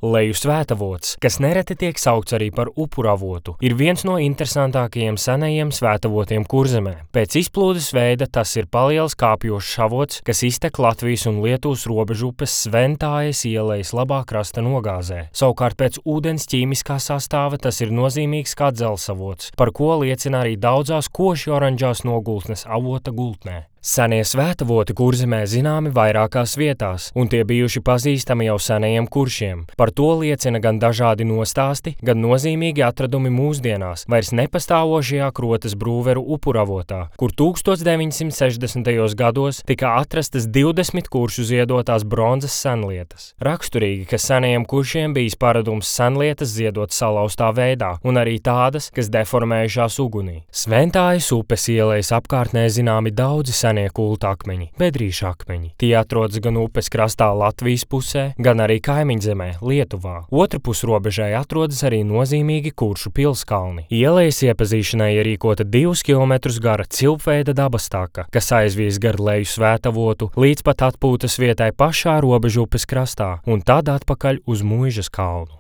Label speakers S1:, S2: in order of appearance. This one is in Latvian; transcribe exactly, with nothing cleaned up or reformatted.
S1: Leju svētavots, kas nereti tiek saukts arī par upuravotu, ir viens no interesantākajiem senajiem svētavotiem Kurzemē. Pēc izplūdes veida tas ir paliels kāpjošs avots, kas iztek Latvijas un Lietuvas robežupes Sventājas ielejas labā krasta nogāzē. Savukārt pēc ūdens ķīmiskā sastāva tas ir nozīmīgs kā dzelzsavots, par ko liecina arī daudzās koši oranžās nogultnes avota gultnē. Senie svētavoti Kurzemē zināmi vairākās vietās, un tie bijuši pazīstami jau senajiem kuršiem. Par to liecina gan dažādi nostāsti, gan nozīmīgi atradumi mūsdienās, vairs nepastāvošajā Krotas Brūveru upuravotā, kur tūkstoš deviņsimt sešdesmitajos gados tika atrastas divdesmit kuršu ziedotās bronzas senlietas. Raksturīgi, ka senajiem kuršiem bijis paradums senlietas ziedot salauztā veidā, un arī tādas, kas deformējušās ugunī. Sventājas upes ielejas apkārtnē zināmi daudzi senie kulta akmeņi, bedrīša akmeņi. Tie atrodas gan upes krastā Latvijas pusē, gan arī kaimiņzemē, Lietuvā. Otrpus robežai atrodas arī nozīmīgi kuršu pilskalni. Ielejas iepazīšanai ierīkota divus kilometrus gara cilpveida dabastaka, kas aizvies gar Leju svētavotu līdz pat atpūtas vietai pašā robežu upes krastā un tad atpakaļ uz Muižas kalnu.